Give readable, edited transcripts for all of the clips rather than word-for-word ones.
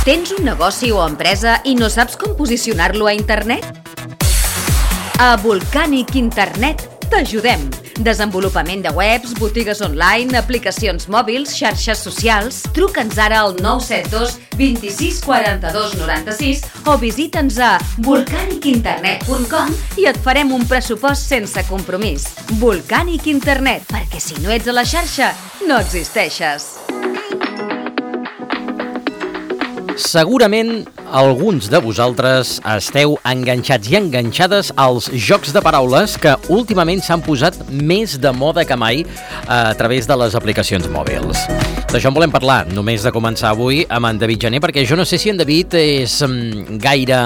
Tens un negoci o empresa i no saps com posicionar-lo a internet? A Volcanic Internet t'ajudem. Desenvolupament de webs, botigues online, aplicacions mòbils, xarxes socials. Truca'ns ara al 972 26 42 96 o visita'ns a volcanicinternet.com i et farem un pressupost sense compromís. Volcanic Internet, perquè si no ets a la xarxa, no existeixes. Segurament alguns de vosaltres esteu enganxats i enganxades als jocs de paraules que últimament s'han posat més de moda que mai a través de les aplicacions mòbils. D'això en volem parlar, només de començar avui, amb en David Gené, perquè jo no sé si en David és gaire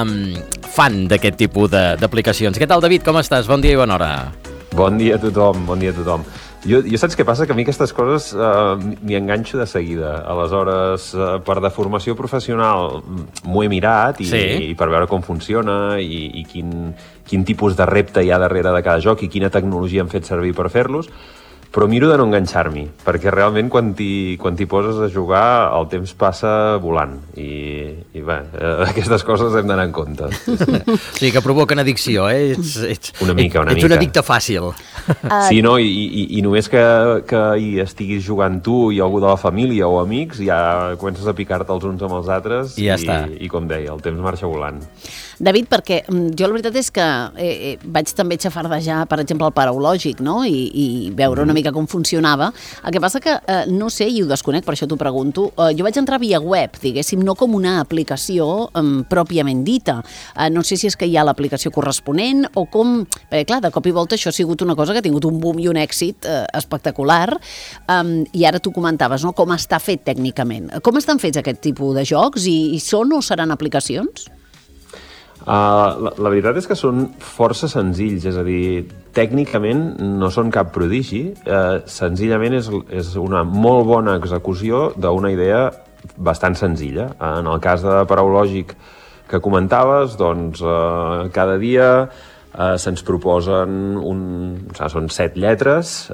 fan d'aquest tipus d'aplicacions. Què tal, David? Com estàs? Bon dia i bona hora. Bon dia a tothom, bon dia a tothom. Jo saps què passa? Que a mi aquestes coses m'hi enganxo de seguida. Aleshores, per deformació professional m'ho he mirat i per veure com funciona i quin tipus de repte hi ha darrere de cada joc i quina tecnologia han fet servir per fer-los, però miro de no enganxar-m'hi, perquè realment quan t'hi poses a jugar el temps passa volant i bé, aquestes coses hem d'anar en compte. Sí, que provoquen addicció, eh? Ets una mica. Ets un addicte fàcil. Sí, no? I només que hi estiguis jugant tu i algú de la família o amics, ja comences a picar-te els uns amb els altres i ja està. I com deia, el temps marxa volant. David, perquè jo la veritat és que vaig també xafardejar, per exemple, el paraulògic, no? I veure una mica com funcionava. El que passa que, no sé, i ho desconec, per això t'ho pregunto, jo vaig entrar via web, diguéssim, no com una aplicació pròpiament dita. No sé si és que hi ha l'aplicació corresponent o com... Perquè, clar, de cop i volta això ha sigut una cosa que ha tingut un boom i un èxit espectacular, i ara tu comentaves, no?, com està fet tècnicament. Com estan fets aquest tipus de jocs i són o seran aplicacions? La veritat és que són força senzills, és a dir, tècnicament no són cap prodigi, senzillament és una molt bona execució d'una idea bastant senzilla. En el cas de paraulògic que comentaves, doncs cada dia se'ns proposen són 7 lletres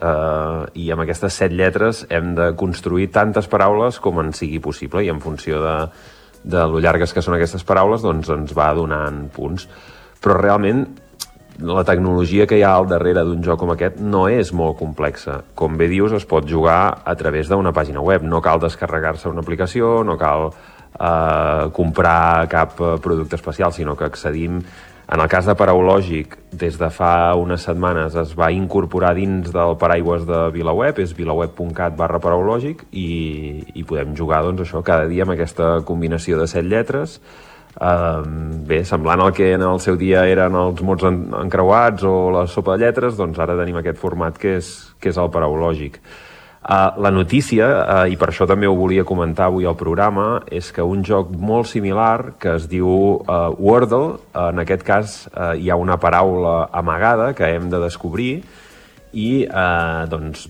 i amb aquestes 7 lletres hem de construir tantes paraules com en sigui possible i en funció de lo llargues que són aquestes paraules, doncs ens va donant punts. Però realment la tecnologia que hi ha al darrere d'un joc com aquest no és molt complexa. Com bé dius, es pot jugar a través d'una pàgina web. No cal descarregar-se una aplicació, no cal comprar cap producte especial, sinó que accedim... En el cas de paraulògic, des de fa unes setmanes es va incorporar dins del paraigües de VilaWeb, és vilaweb.cat/paraulògic, i podem jugar, doncs, això, cada dia amb aquesta combinació de 7 lletres. Bé, semblant al que en el seu dia eren els mots encreuats o la sopa de lletres, doncs ara tenim aquest format que és el paraulògic. La notícia, i per això també ho volia comentar avui al programa, és que un joc molt similar, que es diu Wordle, en aquest cas hi ha una paraula amagada que hem de descobrir i doncs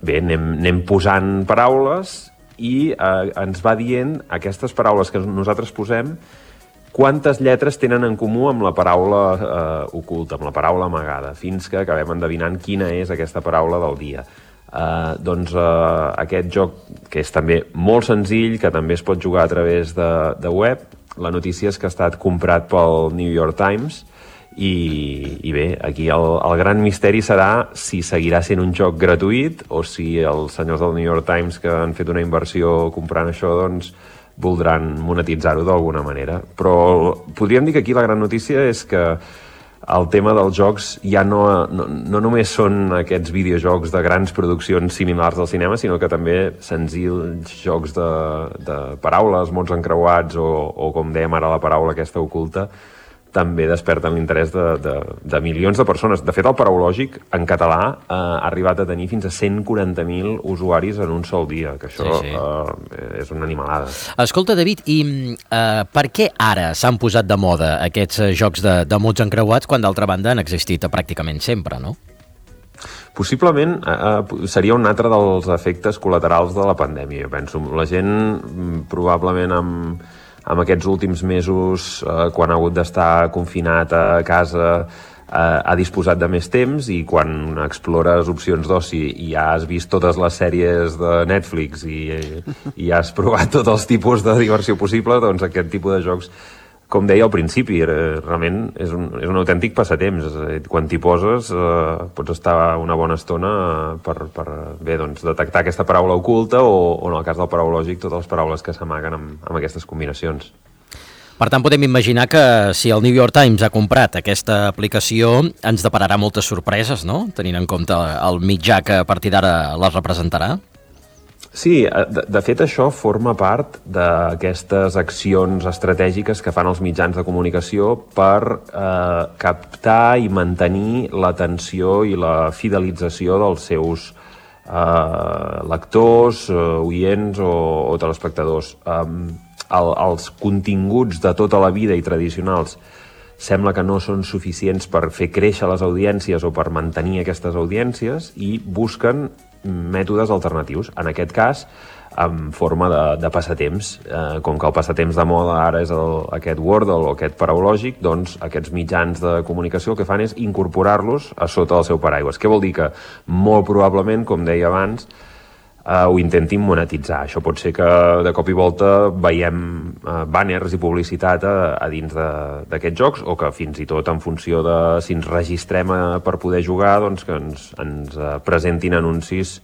bé, anem posant paraules i ens va dient aquestes paraules que nosaltres posem quantes lletres tenen en comú amb la paraula oculta, amb la paraula amagada, fins que acabem endevinant quina és aquesta paraula del dia. Doncs aquest joc, que és també molt senzill, que també es pot jugar a través de web, la notícia és que ha estat comprat pel New York Times i bé, aquí el gran misteri serà si seguirà sent un joc gratuït o si els senyors del New York Times que han fet una inversió comprant això, doncs voldran monetitzar-ho d'alguna manera. Però podríem dir que aquí la gran notícia és que el tema dels jocs ja no només són aquests videojocs de grans produccions similars al cinema, sinó que també senzills jocs de paraules, mots encreuats o com dèiem ara, la paraula aquesta oculta, també desperten l'interès de milions de persones. De fet, el paraulògic en català ha arribat a tenir fins a 140.000 usuaris en un sol dia, que això és una animalada. Escolta, David, i per què ara s'han posat de moda aquests jocs de mots encreuats quan d'altra banda han existit pràcticament sempre, no? Possiblement seria un altre dels efectes col·laterals de la pandèmia, jo penso. La gent probablement amb aquests últims mesos, quan ha hagut d'estar confinat a casa, ha disposat de més temps i quan explores opcions d'oci i ja has vist totes les sèries de Netflix i has provat tots els tipus de diversió possible, doncs aquest tipus de jocs, com deia al principi, realment és un autèntic passatemps. Quan t'hi poses pots estar una bona estona per detectar aquesta paraula oculta o en el cas del paraulògic, totes les paraules que s'amaguen amb aquestes combinacions. Per tant, podem imaginar que si el New York Times ha comprat aquesta aplicació ens depararà moltes sorpreses, no? Tenint en compte el mitjà que a partir d'ara les representarà. Sí, de fet això forma part d'aquestes accions estratègiques que fan els mitjans de comunicació per captar i mantenir l'atenció i la fidelització dels seus lectors, oients o telespectadors. Els continguts de tota la vida i tradicionals sembla que no són suficients per fer créixer les audiències o per mantenir aquestes audiències i busquen mètodes alternatius. En aquest cas, en forma de passatemps. Com que el passatemps de moda ara és aquest Wordle o aquest paraulògic, doncs aquests mitjans de comunicació el que fan és incorporar-los a sota del seu paraigües. Què vol dir? Que molt probablement, com deia abans, ho intentin monetitzar. Això pot ser que de cop i volta veiem banners i publicitat a dins d'aquests jocs o que fins i tot en funció de si ens registrem per poder jugar, doncs que ens presentin anuncis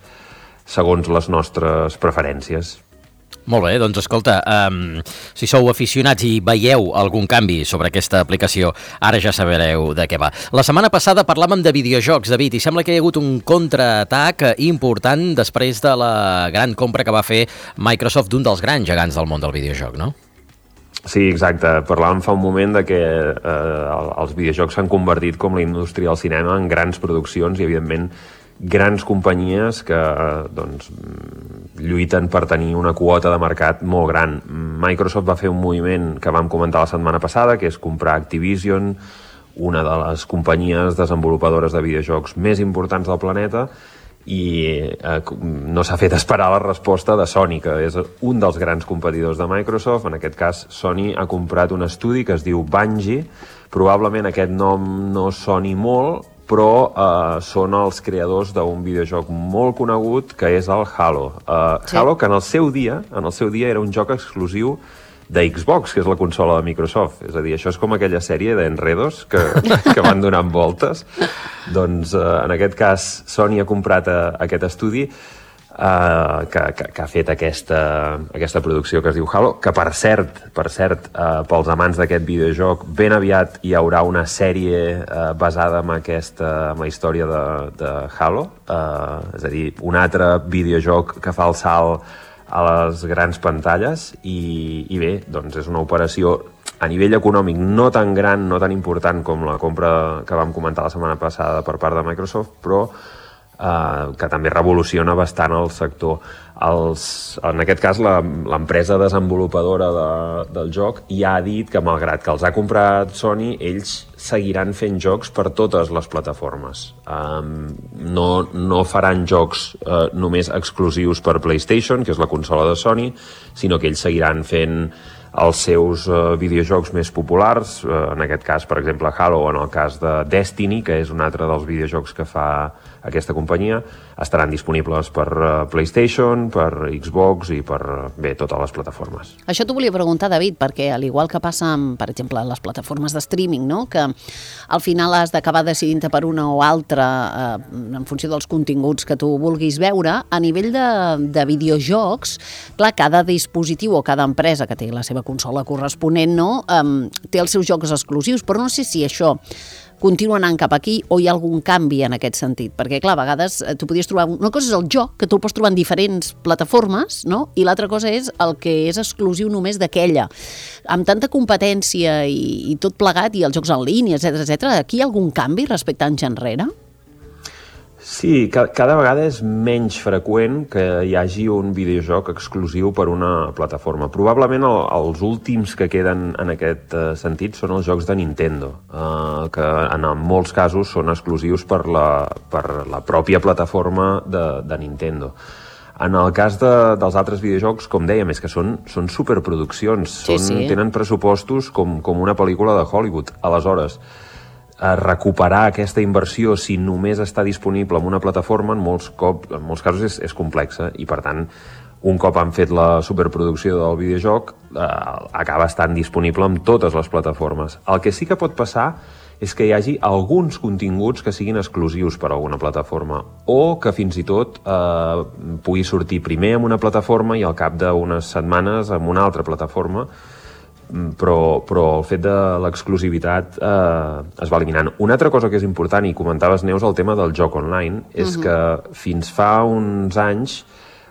segons les nostres preferències. Molt bé, doncs escolta, si sou aficionats i veieu algun canvi sobre aquesta aplicació, ara ja sabreu de què va. La setmana passada parlàvem de videojocs, David, i sembla que hi ha hagut un contraatac important després de la gran compra que va fer Microsoft d'un dels grans gegants del món del videojoc, no? Sí, exacte. Parlàvem fa un moment de que els videojocs s'han convertit com la indústria del cinema en grans produccions i, evidentment, grans companyies que lluiten per tenir una quota de mercat molt gran. Microsoft va fer un moviment que vam comentar la setmana passada, que és comprar Activision, una de les companyies desenvolupadores de videojocs més importants del planeta, i no s'ha fet esperar la resposta de Sony, que és un dels grans competidors de Microsoft. En aquest cas, Sony ha comprat un estudi que es diu Bungie. Probablement aquest nom no soni molt, però són els creadors d'un videojoc molt conegut que és el Halo. Sí. Halo, que en el seu dia era un joc exclusiu de Xbox, que és la consola de Microsoft. És a dir, això és com aquella sèrie d'enredos que van donant voltes. Doncs, en aquest cas, Sony ha comprat aquest estudi que ha fet aquesta producció que es diu Halo, que per cert, pels amants d'aquest videojoc, ben aviat hi haurà una sèrie basada en la història de Halo, és a dir, un altre videojoc que fa el salt a les grans pantalles i bé, doncs és una operació a nivell econòmic no tan gran, no tan important com la compra que vam comentar la setmana passada per part de Microsoft, però que també revoluciona bastant el sector. En aquest cas, l'empresa desenvolupadora del joc ja ha dit que, malgrat que els ha comprat Sony, ells seguiran fent jocs per totes les plataformes. No faran jocs només exclusius per PlayStation, que és la consola de Sony, sinó que ells seguiran fent els seus videojocs més populars, en aquest cas, per exemple, Halo, o en el cas de Destiny, que és un altre dels videojocs que fa aquesta companyia, estaran disponibles per PlayStation, per Xbox i per, totes les plataformes. Això t'ho volia preguntar, David, perquè al igual que passa amb, per exemple, les plataformes de streaming, no? Que al final has d'acabar decidint-te per una o altra en funció dels continguts que tu vulguis veure, a nivell de videojocs, clar, cada dispositiu o cada empresa que té la seva consola corresponent, no? Té els seus jocs exclusius, però no sé si això continua anant cap aquí o hi ha algun canvi en aquest sentit, perquè clar, a vegades tu podies trobar, una cosa és el joc, que tu el pots trobar en diferents plataformes, no? I l'altra cosa és el que és exclusiu només d'aquella. Amb tanta competència i tot plegat, i els jocs en línia, etc., aquí hi ha algun canvi respecte a anys enrere? Sí, cada vegada és menys freqüent que hi hagi un videojoc exclusiu per una plataforma. Probablement els últims que queden en aquest sentit són els jocs de Nintendo, que en molts casos són exclusius per la pròpia plataforma de Nintendo. En el cas dels altres videojocs, com dèiem, és que són superproduccions, tenen pressupostos com una pel·lícula de Hollywood. Aleshores, recuperar aquesta inversió si només està disponible en una plataforma en molts casos és complexa, i per tant un cop han fet la superproducció del videojoc acaba estant disponible en totes les plataformes. El que sí que pot passar és que hi hagi alguns continguts que siguin exclusius per a alguna plataforma, o que fins i tot pugui sortir primer en una plataforma i al cap d'unes setmanes en una altra plataforma, però el fet de l'exclusivitat es va eliminant. Una altra cosa que és important, i comentaves, Neus, el tema del joc online, és que fins fa uns anys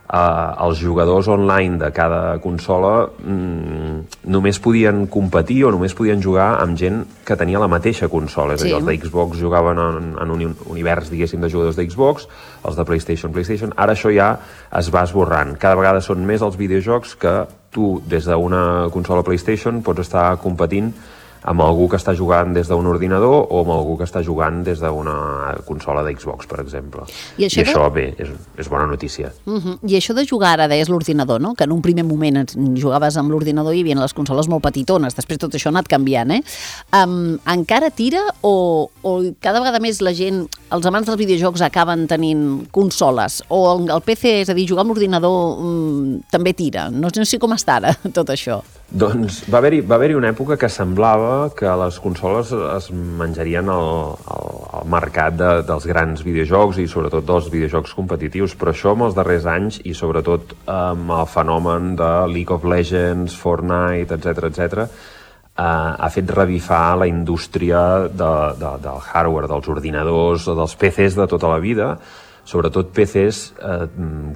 els jugadors online de cada consola només podien competir o només podien jugar amb gent que tenia la mateixa consola. És a dir, els de Xbox jugaven en un univers, diguéssim, de jugadors de Xbox, els de PlayStation. Ara això ja es va esborrant. Cada vegada són més els videojocs que tu, des d'una consola PlayStation, pots estar competint amb algú que està jugant des d'un ordinador o amb algú que està jugant des d'una consola de Xbox, per exemple. I això, bé, és bona notícia. I això de jugar, ara deies l'ordinador, no? Que en un primer moment jugaves amb l'ordinador i hi havia les consoles molt petitones, després tot això ha anat canviant, encara tira o cada vegada més la gent, els amants dels videojocs acaben tenint consoles, o el PC, és a dir, jugar amb l'ordinador també tira? No sé com està ara tot això. Doncs va haver-hi una època que semblava que les consoles es menjarien el mercat dels grans videojocs i sobretot dels videojocs competitius, però això amb els darrers anys i sobretot amb el fenomen de League of Legends, Fortnite, etc., ha fet revifar la indústria del hardware, dels ordinadors, dels PCs de tota la vida, sobretot PCs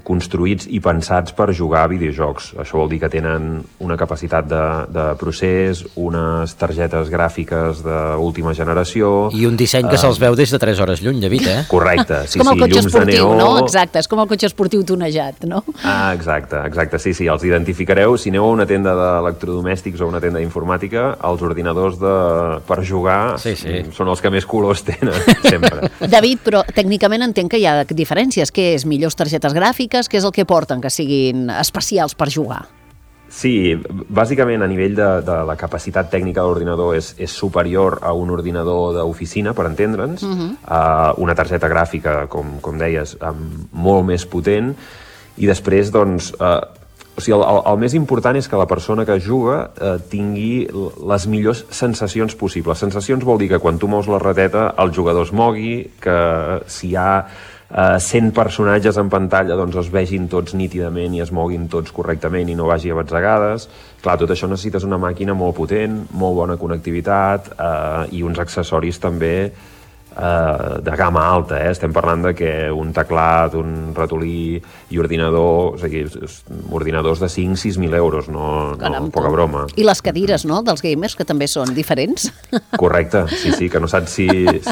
construïts i pensats per jugar a videojocs. Això vol dir que tenen una capacitat de procés, unes targetes gràfiques d'última generació... I un disseny que se'ls veu des de 3 hores lluny, David, Correcte, sí, com el cotxe llums esportiu, de neó... no? Exacte, és com el cotxe esportiu tonejat, no? Exacte, sí, els identificareu. Si aneu a una tenda d'electrodomèstics o una tenda d'informàtica, els ordinadors per jugar són els que més colors tenen, sempre. David, però tècnicament entenc que hi ha diferències. Què és? Millors targetes gràfiques? Què és el que porten que siguin especials per jugar? Sí, bàsicament a nivell de la capacitat tècnica de l'ordinador és superior a un ordinador d'oficina, per entendre'ns, una targeta gràfica, com deies, molt més potent, i després, doncs, o sigui, el més important és que la persona que juga tingui les millors sensacions possibles. Sensacions vol dir que quan tu mous la rateta el jugador es mogui, que si hi ha 100 personatges en pantalla doncs es vegin tots nítidament i es moguin tots correctament i no vagi a batzegades. Clar, tot això necessites una màquina molt potent, molt bona connectivitat i uns accessoris també de gamma alta, Estem parlant de que un teclat, un ratolí i ordinador, o sigui, ordinadors de 5.000-6.000 euros, no poca broma. I les cadires, no?, dels gamers, que també són diferents. Correcte, sí, que no saps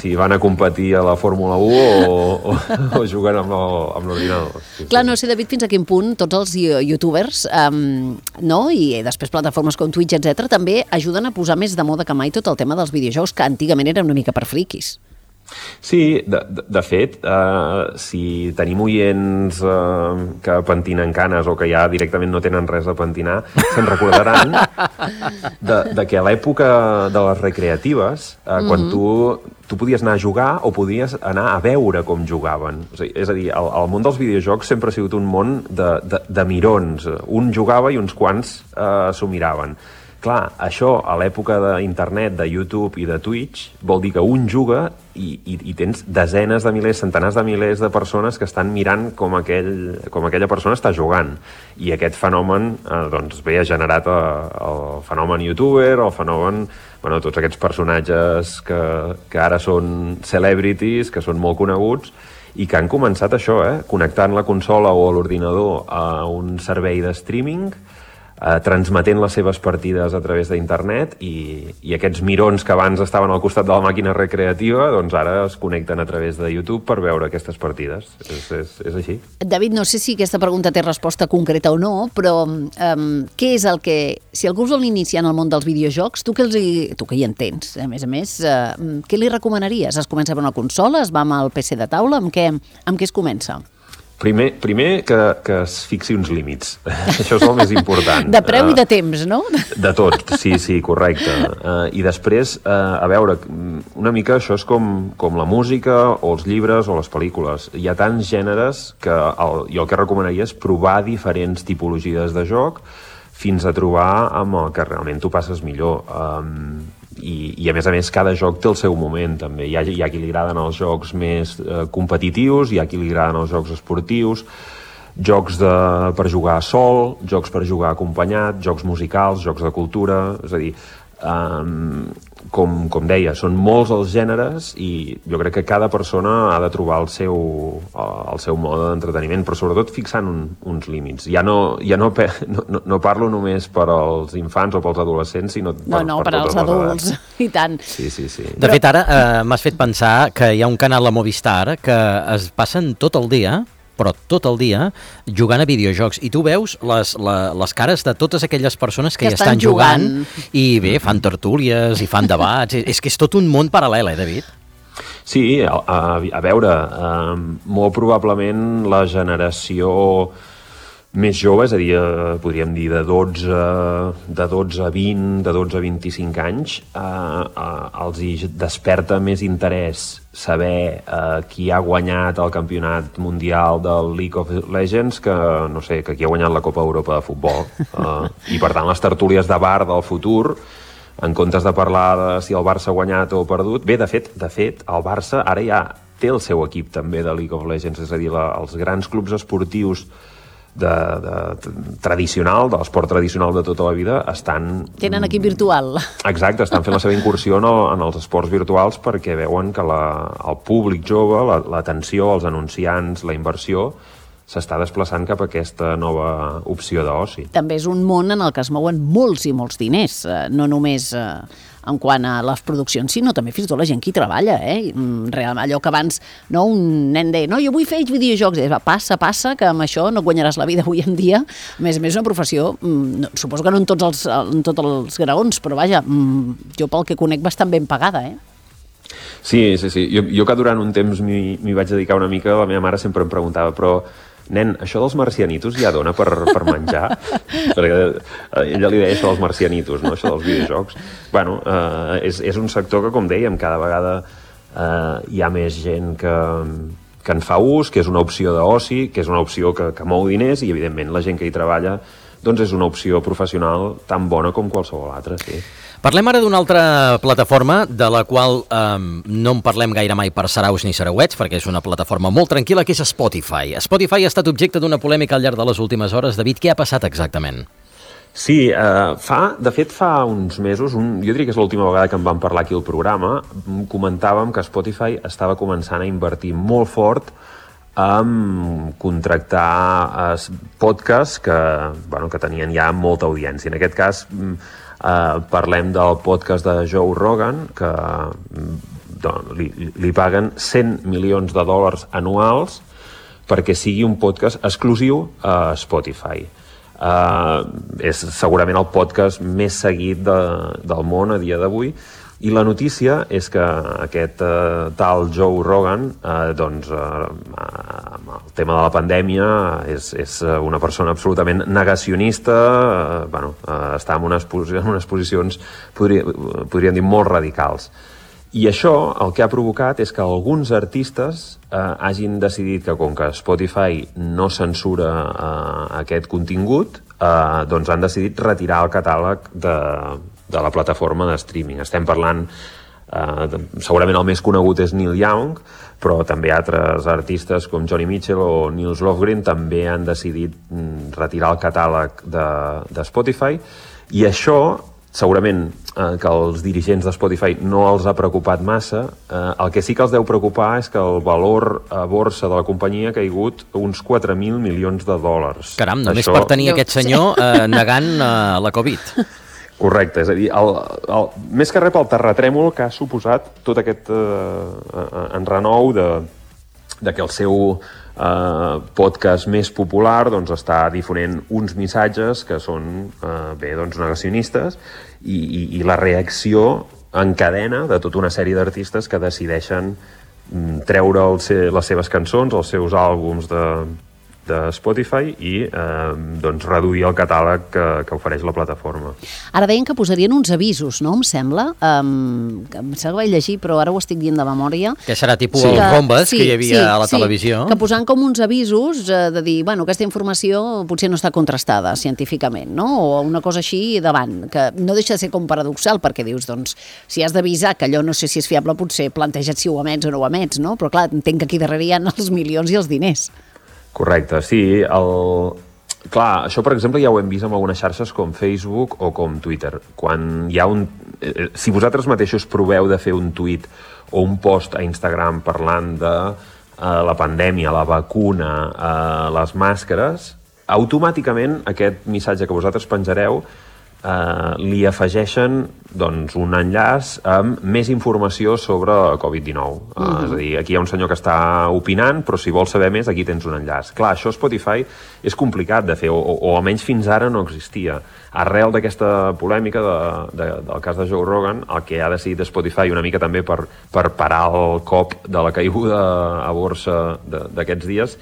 si van a competir a la Fórmula 1 o juguen amb l'ordinador. Clar, no sé, David, fins a quin punt tots els youtubers, i després plataformes com Twitch, etc., també ajuden a posar més de moda que mai tot el tema dels videojocs, que antigament era una mica per friquis. Sí, de fet, si tenim oients que pentinen canes o que ja directament no tenen res a pentinar, se'n recordaran de que a l'època de les recreatives, quan tu podies anar a jugar o podies anar a veure com jugaven. És a dir, el món dels videojocs sempre ha sigut un món de mirons. Un jugava i uns quants s'ho miraven. Clar, això a l'època d'internet, de YouTube i de Twitch vol dir que un juga i tens desenes de milers, centenars de milers de persones que estan mirant com aquella persona està jugant. I aquest fenomen doncs ha generat el fenomen youtuber, el fenomen, tots aquests personatges que ara són celebrities, que són molt coneguts i que han començat això, connectant la consola o l'ordinador a un servei de streaming, transmetent les seves partides a través d'internet i aquests mirons que abans estaven al costat de la màquina recreativa doncs ara es connecten a través de YouTube per veure aquestes partides. És així. David, no sé si aquesta pregunta té resposta concreta o no, però què és el que... Si algú es vol iniciar en el món dels videojocs, tu que hi entens, a més, què li recomanaries? Es comença per una consola? Es va amb el PC de taula? Amb què es comença? Primer que es fixi uns límits. Això és el més important. De preu i de temps, no? De tot, sí, correcte. I després, a veure, una mica això és com la música o els llibres o les pel·lícules. Hi ha tants gèneres que jo el que recomanaria és provar diferents tipologies de joc fins a trobar amb el que realment tu passes millor. I a més, cada joc té el seu moment, també. Hi ha qui li agraden els jocs més competitius, hi ha qui li agraden els jocs esportius, jocs per jugar sol, jocs per jugar acompanyat, jocs musicals, jocs de cultura... És a dir, com deia, són molts els gèneres i jo crec que cada persona ha de trobar el seu mode d'entreteniment, però sobretot fixant uns límits. Ja no parlo només per als infants o pels adolescents, sinó per als adults, i tant. Sí. De fet, ara m'has fet pensar que hi ha un canal a Movistar que es passen tot el dia jugant a videojocs, i tu veus les cares de totes aquelles persones que hi estan jugant i bé, fan tertúlies i fan debats, és que és tot un món paral·lel, David? Sí, a veure, molt probablement la generació més jove, és a dir, podríem dir de 12 a 20, de 12 a 25 anys, els hi desperta més interès saber qui ha guanyat el campionat mundial del League of Legends que, no sé, que qui ha guanyat la Copa Europa de futbol. I per tant les tertúlies de bar del futur, en comptes de parlar de si el Barça ha guanyat o perdut, bé, de fet, el Barça ara ja té el seu equip també de League of Legends, és a dir, els grans clubs esportius tradicional, de l'esport tradicional de tota la vida, tenen equip virtual. Exacte, estan fent la seva incursió en els esports virtuals perquè veuen que el públic jove, l'atenció, els anunciants, la inversió, s'està desplaçant cap a aquesta nova opció d'oci. També és un món en el que es mouen molts i molts diners, no només en quant a les produccions, sinó també fins i tot la gent que hi treballa, Realment, allò que abans un nen deia, jo vull fer videojocs, passa, que amb això no guanyaràs la vida avui en dia. A més, és una professió, suposo que no en tots els graons, però vaja, jo pel que conec bastant ben pagada, Sí. Jo que durant un temps m'hi vaig dedicar una mica, la meva mare sempre em preguntava, però nen, això dels marcianitos ja dona per menjar? Perquè ella li deia això dels marcianitos, no? Això dels videojocs. Bueno, és un sector que, com dèiem, cada vegada hi ha més gent que en fa ús, que és una opció d'oci, que és una opció que mou diners i, evidentment, la gent que hi treballa doncs és una opció professional tan bona com qualsevol altra, sí. Parlem ara d'una altra plataforma de la qual no en parlem gaire mai per saraus ni sarauets, perquè és una plataforma molt tranquil·la, que és Spotify. Spotify ha estat objecte d'una polèmica al llarg de les últimes hores. David, què ha passat exactament? Sí, de fet fa uns mesos, jo diria que és l'última vegada que en vam parlar aquí al programa, comentàvem que Spotify estava començant a invertir molt fort en contractar podcasts que tenien ja molta audiència. En aquest cas parlem del podcast de Joe Rogan, que li paguen $100 milions anuals perquè sigui un podcast exclusiu a Spotify. És segurament el podcast més seguit del món a dia d'avui, i la notícia és que aquest tal Joe Rogan, amb el tema de la pandèmia, és una persona absolutament negacionista, està en unes posicions, podríem dir, molt radicals. I això el que ha provocat és que alguns artistes hagin decidit que, com que Spotify no censura aquest contingut, doncs han decidit retirar el catàleg de la plataforma de streaming. Estem parlant, segurament el més conegut és Neil Young, però també altres artistes com Johnny Mitchell o Nils Lofgren també han decidit retirar el catàleg de Spotify, i això segurament que els dirigents de Spotify no els ha preocupat massa. El que sí que els deu preocupar és que el valor a borsa de la companyia ha caigut uns $4.000 milions. Caram, només per tenir aquest senyor negant la Covid. Correcte, és a dir, més que res pel terratrèmol que ha suposat tot aquest enrenou de que el seu podcast més popular està difonent uns missatges que són negacionistes, i la reacció en cadena de tota una sèrie d'artistes que decideixen treure les seves cançons, els seus àlbums de Spotify i doncs reduir el catàleg que ofereix la plataforma. Ara deien que posarien uns avisos, no? Em sembla. Em sembla que vaig llegir, però ara ho estic dient de memòria. Que serà tipus els bombes que hi havia a la televisió. Que posant com uns avisos de dir, bueno, aquesta informació potser no està contrastada científicament, no? O una cosa així davant, que no deixa de ser com paradoxal, perquè dius, doncs, si has d'avisar que allò no sé si és fiable, potser planteja't si ho emets o no ho emets, no? Però clar, entenc que aquí darrere hi ha els milions i els diners. Correcte, sí. Clar, això, per exemple, ja ho hem vist amb algunes xarxes com Facebook o com Twitter. Quan hi ha si vosaltres mateixos proveu de fer un tuit o un post a Instagram parlant de la pandèmia, la vacuna, les màscares, automàticament aquest missatge que vosaltres penjareu li afegeixen doncs, un enllaç amb més informació sobre Covid-19. És a dir, aquí hi ha un senyor que està opinant, però si vols saber més, aquí tens un enllaç. Clar, això a Spotify és complicat de fer, o almenys fins ara no existia. Arrel d'aquesta polèmica del cas de Joe Rogan, el que ha decidit Spotify una mica també per parar el cop de la caiguda a borsa d'aquests dies,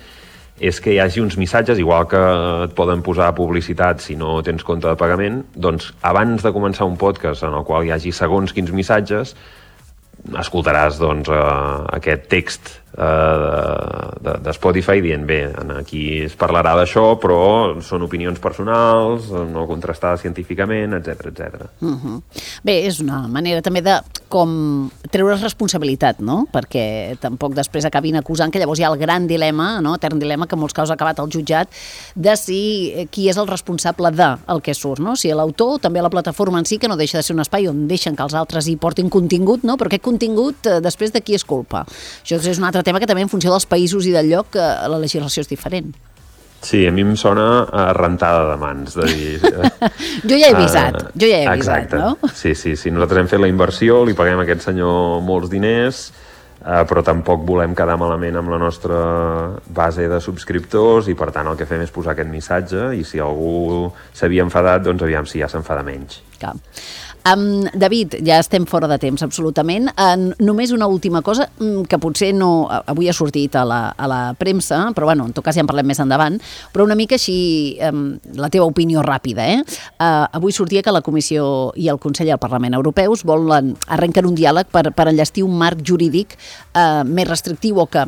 és que hi hagi uns missatges, igual que et poden posar publicitat si no tens compte de pagament, doncs abans de començar un podcast en el qual hi hagi segons quins missatges, escoltaràs doncs, aquest text de Spotify dient, bé, aquí es parlarà d'això, però són opinions personals, no contrastades científicament, etc. Bé, és una manera també de com treure responsabilitat, no? Perquè tampoc després acabin acusant que llavors hi ha el gran dilema, no? Etern dilema, que en molts casos ha acabat al jutjat, de si qui és el responsable del que surt, no? Si l'autor, també la plataforma en si, que no deixa de ser un espai on deixen que els altres hi portin contingut, no? Però aquest contingut, després de qui és culpa? Això és un altre tema que també en funció dels països i del lloc la legislació és diferent. Sí, a mi em sona rentada de mans, de dir... Jo ja he avisat, exacte. No? Sí, nosaltres hem fet la inversió, li paguem a aquest senyor molts diners, però tampoc volem quedar malament amb la nostra base de subscriptors i per tant el que fem és posar aquest missatge i si algú s'havia enfadat, doncs aviam si ja s'enfada menys. Clar. David, ja estem fora de temps absolutament. Només una última cosa que potser no avui ha sortit a la premsa, però bueno, en tot cas ja en parlem més endavant, però una mica així la teva opinió ràpida. Avui sortia que la Comissió i el Consell i el Parlament Europeus arrenquen un diàleg per enllestir un marc jurídic més restrictiu o que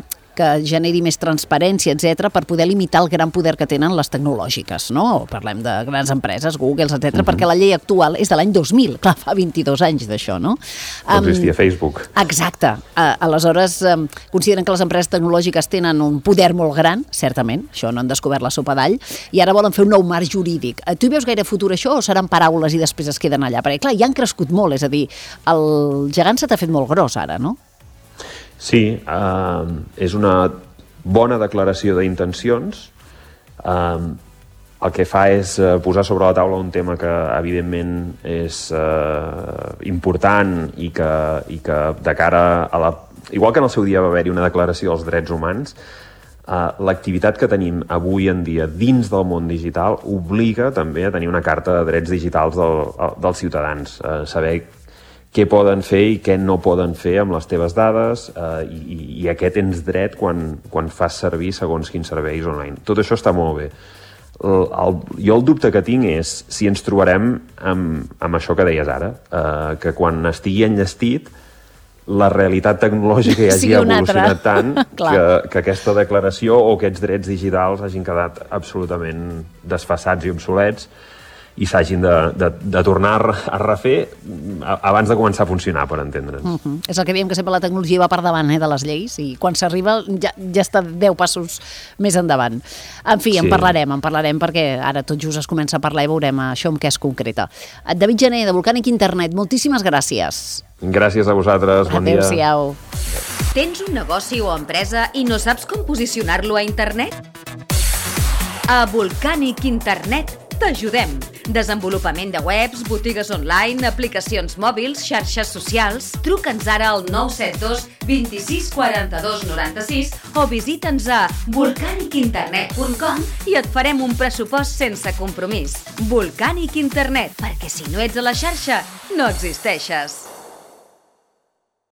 generi més transparència, etc., per poder limitar el gran poder que tenen les tecnològiques, no? Parlem de grans empreses, Google, etc., perquè la llei actual és de l'any 2000, clar, fa 22 anys d'això, no? No existia Facebook. Exacte. Aleshores, consideren que les empreses tecnològiques tenen un poder molt gran, certament, això no han descobert la sopa d'all, i ara volen fer un nou marc jurídic. Tu hi veus gaire futur això o seran paraules i després es queden allà? Perquè, clar, ja han crescut molt, és a dir, el gegant se t'ha fet molt gros ara, no? Sí, és una bona declaració d'intencions. El que fa és posar sobre la taula un tema que evidentment és important i que de cara a la... Igual que en el seu dia va haver-hi una declaració dels drets humans, l'activitat que tenim avui en dia dins del món digital obliga també a tenir una carta de drets digitals dels ciutadans, saber què poden fer i què no poden fer amb les teves dades i a què tens dret quan fas servir segons quins serveis online. Tot això està molt bé. Jo el dubte que tinc és si ens trobarem amb això que deies ara, que quan estigui enllestit la realitat tecnològica ja hagi evolucionat tant que aquesta declaració o aquests drets digitals hagin quedat absolutament desfasats i obsolets i s'hagin de tornar a refer abans de començar a funcionar, per entendre'ns. És el que diem, que sempre la tecnologia va per davant de les lleis i quan s'arriba ja està 10 passos més endavant. En fi, en parlarem perquè ara tot just es comença a parlar i veurem això amb què es concreta. David Gené, de Volcànic Internet, moltíssimes gràcies. Gràcies a vosaltres, bon dia. Adéu-siau. Tens un negoci o empresa i no saps com posicionar-lo a internet? A Volcànic Internet t'ajudem. Desenvolupament de webs, botigues online, aplicacions mòbils, xarxes socials. Truca'ns ara al 972 26 42 96 o visita'ns a volcanicinternet.com i et farem un pressupost sense compromís. Volcànic Internet, perquè si no ets a la xarxa, no existeixes.